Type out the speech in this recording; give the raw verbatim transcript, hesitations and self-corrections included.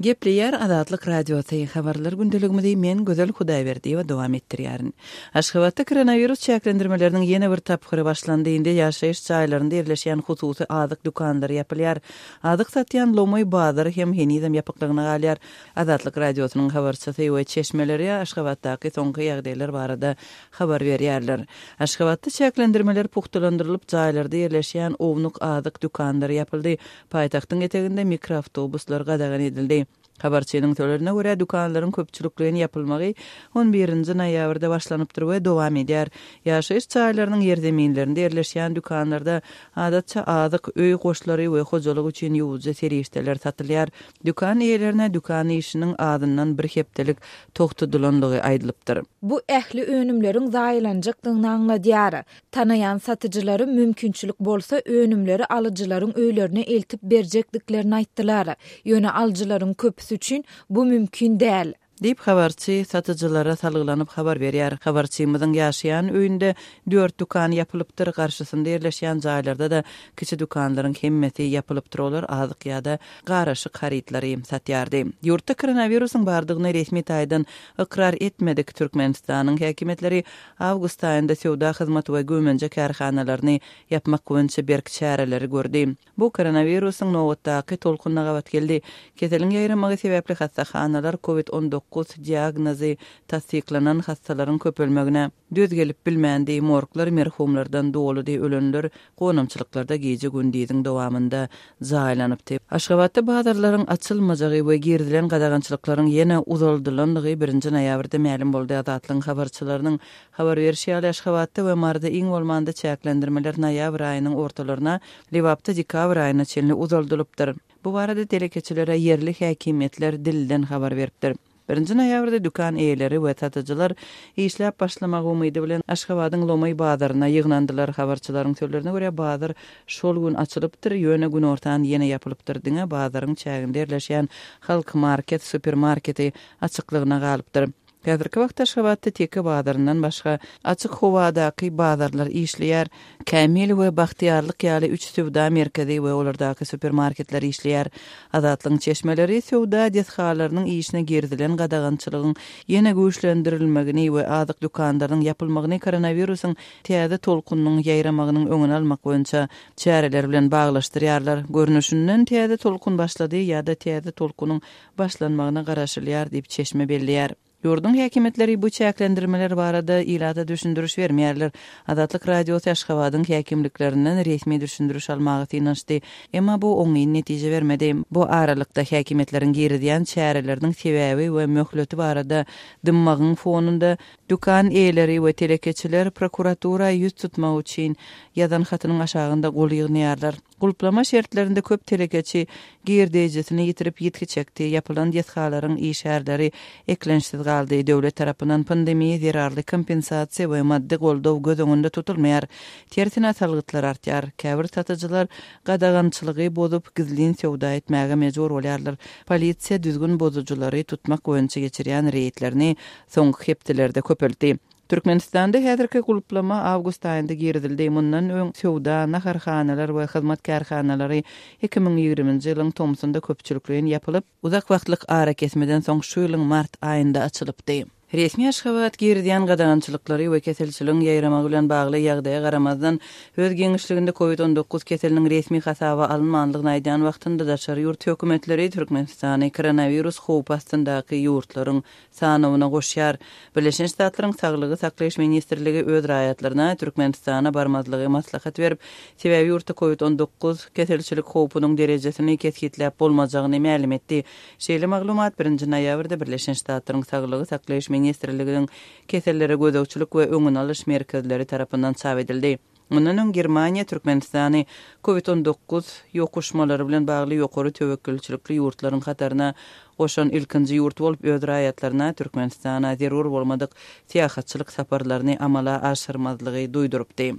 Gepleýär Azatlyk Radiosy, Habarlar gündeligimizi men Gözel Hudaýberdiýewa dowam etdirýärin. Aşgabatda koronawirus çäklendirmeleriniň ýene bir tapgyry başlandy. Indi ýaşaýyş jaýlarynda ýerleşýän hususy azyk dükanlary ýapylýar. Azyk satýan lomaý bazary hem henizem ýapyklygyna galýar. Azatlyk Radiosynyň habarçysy we çeşmeleri Aşgabatdaky soňky ýagdaýlar barada habar berýärler. Aşgabatda çäklendirmeler pugtalandyrylyp, jaýlarda ýerleşýän ownuk azyk dükanlary ýapyldy. Paýtagtyň eteginde mikroawtobuslar gadagan edildi. Habarçynyň sözlerine görä, dükanlaryň köpçülikleýin ýapylmagy on birinji noýabrda başlanypdyr we dowam edýär. Ýaşaýyş jaýlarynyň ýerzeminlerinde ýerleşýän dükanlarda adatça azyk, öý goşlary we hojalyk üçin ýuwujy serişdeler satylýar. Dükan eýelerine dükan işiniň azyndan bir hepdelik togtadylanlygy aýdylypdyr. Bu ähli önümleriň zaýalanjakdygyny aňladýar. Tanaýan satyjylary mümkinçilik bolsa önümleri alyjylaryň öýlerine eltip berjekdiklerini aýtdylar. Ýöne alyjylaryň köpüsi üçin bu mümkin däl. Diýip habarçy satyjylara salgylanyp habar berýär. Habarçymyzyň ýaşaýan öýünde dört dükan ýapylypdyr, garşysynda ýerleşýän jaýlarda da kiçi dükanlaryň hemmesi ýapylypdyr, olar azyk ýa-da garyşyk harytlary satýardy. Ýurtda koronawirusyň bardygyny resmi taýdan ykrar etmedik Türkmenistanyň häkimiýetleri awgust aýynda söwda hyzmaty we güýmenje kärhanalaryny ýapmak boýunça berk çäreleri gördi. Bu koronawirusyň nobatdaky tolkunyna gabat geldi. Keseliň ýaýramagy sebäpli hassahanalar COVID on dokuz diagnozy tassyklanan hassalaryň köpelmegine döz gelip bilmändi. Morglar merhumlardan doludy, ölenler gonamçylyklarda gije gündiziň dowamynda jaýlanypdy. Aşgabatda bazarlaryň açylmajagy we girizilen gadagançylyklaryň ýene uzaldylandygy birinji noýabrda mälim boldy. Azatlygyň habarçylarynyň habar berişi ýaly, Aşgabatda we Maryda iň bolmanda çäklendirmeler noýabr aýynyň ortalaryna, Lebapda dekabr aýyna çenli uzaldylypdyr. Bu barada telekeçilere ýerli häkimiýetler dilden habar beripdir. Birinji noýabrda dükan eýeleri we satyjylar işläp başlamagy umydy bilen Aşgabadyň lomaý bazaryna ýygnandylar. Habarçylaryň sözlerine görä, bazar şol gün açylypdyr, ýöne günortan ýene ýapylypdyr. Diňe bazaryň çäginde ýerleşýän Halk Market supermarketi açyklygyna galypdyr. Häzirki wagtda Aşgabatda teke bazaryndan başga açyk howadaky bazarlar işleýär. Kämil we Bagtyýarlyk ýaly üç söwda merkezi we olardaky supermarketler işleýär. Azatlygyň çeşmeleri söwda desgalarynyň işine girizilen gadagançylygyň ýene güýçlendirilmegini we azyk dükanlarynyň ýapylmagyny koronawirusyň täze tolkunynyň ýaýramagynyň öňüni almak boýunça çäreler bilen baglaşdyrýarlar. Görnüşinden täze tolkun başlady ýa-da täze tolkunyň başlanmagyna garaşylýar diýip çeşme belleýär. Ýurduň häkimiýetleri bu çäklendirmeler barada ilata düşündiriş bermeýärler. Azatlyk Radiosy Aşgabadyň häkimliklerinden resmi düşündiriş almagy synanyşdy. Emma bu oňyn netije bermedi. Bu aralykda häkimiýetleriň girizýän çäreleriniň sebäbi we möhleti barada dymmagyň fonunda dükan eýeleri we telekeçiler prokuratura ýüz tutmak üçin ýazan hatynyň aşagynda gol ýygnaýarlar. Gulplama şertlerinde köp telekeçi girdejisini ýitirip ýitgi çekdi. Ýapylan desgalaryň işgärleri eklençsiz galdy. Döwlet tarapyndan pandemiýa zerarly kompensasiýa we maddy goldaw göz öňünde tutulmaýar. Tersine salgytlar artýar. Käbir satyjylar gadagançylygy bozup gizlin söwda etmäge mejbur bolýarlar. Polisiýa düzgün bozujylary tutmak boýunça geçirýän reýdlerini soňky hepdelerde köpeltdi. Türkmenistanda häzirki gulplama awgust aýynda girizildi. Mundan öň söwda, naharhanalar we hyzmat kärhanalary iki müň ýigriminji ýylyň tomsunda köpçülikleýin ýapylyp, uzak wagtlyk ara kesmeden soň şu ýylyň mart aýynda açylypdy. Resmi Aşgabat girizýän gadagançylyklary we keselçiligiň ýaýramagy bilen bagly ýagdaýa garamazdan, öz giňişliginde COVID on dokuz keseliniň resmi hasaba alynmanlygyny aýdýan wagtynda daşary ýurt hökümetleri Türkmenistany koronawirus howpy astyndaky ýurtlaryň sanawyna goşýar. Birleşen Ştatlaryň Saglygy saklaýyş ministrligi öz raýatlaryna Türkmenistana barmazlygy maslahat berip, sebäbi ýurtda COVID on dokuz keselçilik howpunyň derejesini kesgitläp bolmajagyny mälim etdi. Şeýle maglumat birinji noýabrda Birleşen Ştatlaryň Saglygy saklaýyş ministrliginiň kesellere gözegçilik we öňüni alyş merkezleri tarapyndan çap edildi. Mundan öň Germaniýa Türkmenistany COVID on dokuz ýokuşmalary bilen bagly ýokary töwekgelçilikli ýurtlaryň hataryna goşan ilkinji ýurt bolup öz raýatlaryna Türkmenistana zerur bolmadyk syýahatçylyk saparlaryny amala aşyrmazlygy duýdurypdy.